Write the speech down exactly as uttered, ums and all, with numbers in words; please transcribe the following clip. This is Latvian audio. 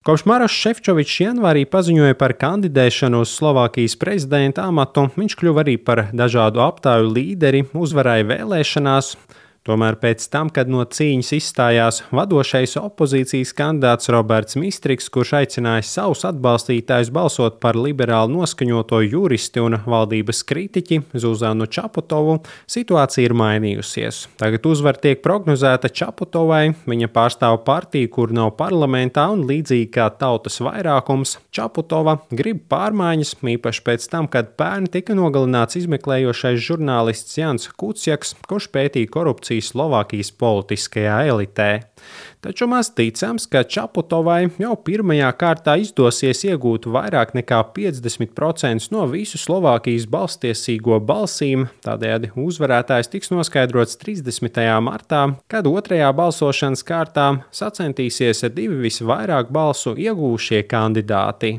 Kopš Marošs Šefčovičs janvārī paziņoja par kandidēšanu uz Slovākijas prezidenta amatu, viņš kļuva arī par dažādu aptāju līderi, uzvarēja vēlēšanās. Tomēr pēc tam, kad no cīņas izstājās vadošais opozīcijas kandidāts Roberts Mistriks, kurš aicināja savus atbalstītājus balsot par liberāli noskaņoto juristi un valdības kritiķi Zuzanu Čaputovu, situācija ir mainījusies. Tagad uzvara tiek prognozēta Čaputovai, viņa pārstāv partiju, kur nav parlamentā, un līdzīgi kā tautas vairākums, Čaputova grib pārmaiņas, īpaši pēc tam, kad pērn tika nogalināts izmeklējošais žurnālists Jans Kuciaks, kurš pētīja korupciju Slovākijas politiskajā elitē. Taču maz ticams, ka Čaputovai jau pirmajā kārtā izdosies iegūt vairāk nekā piecdesmit procenti no visu Slovākijas balsstiesīgo balsīm, tādējādi uzvarētājs tiks noskaidrots trīsdesmitajā martā, kad otrajā balsošanas kārtā sacentīsies divi visvairāk balsu iegūšie kandidāti.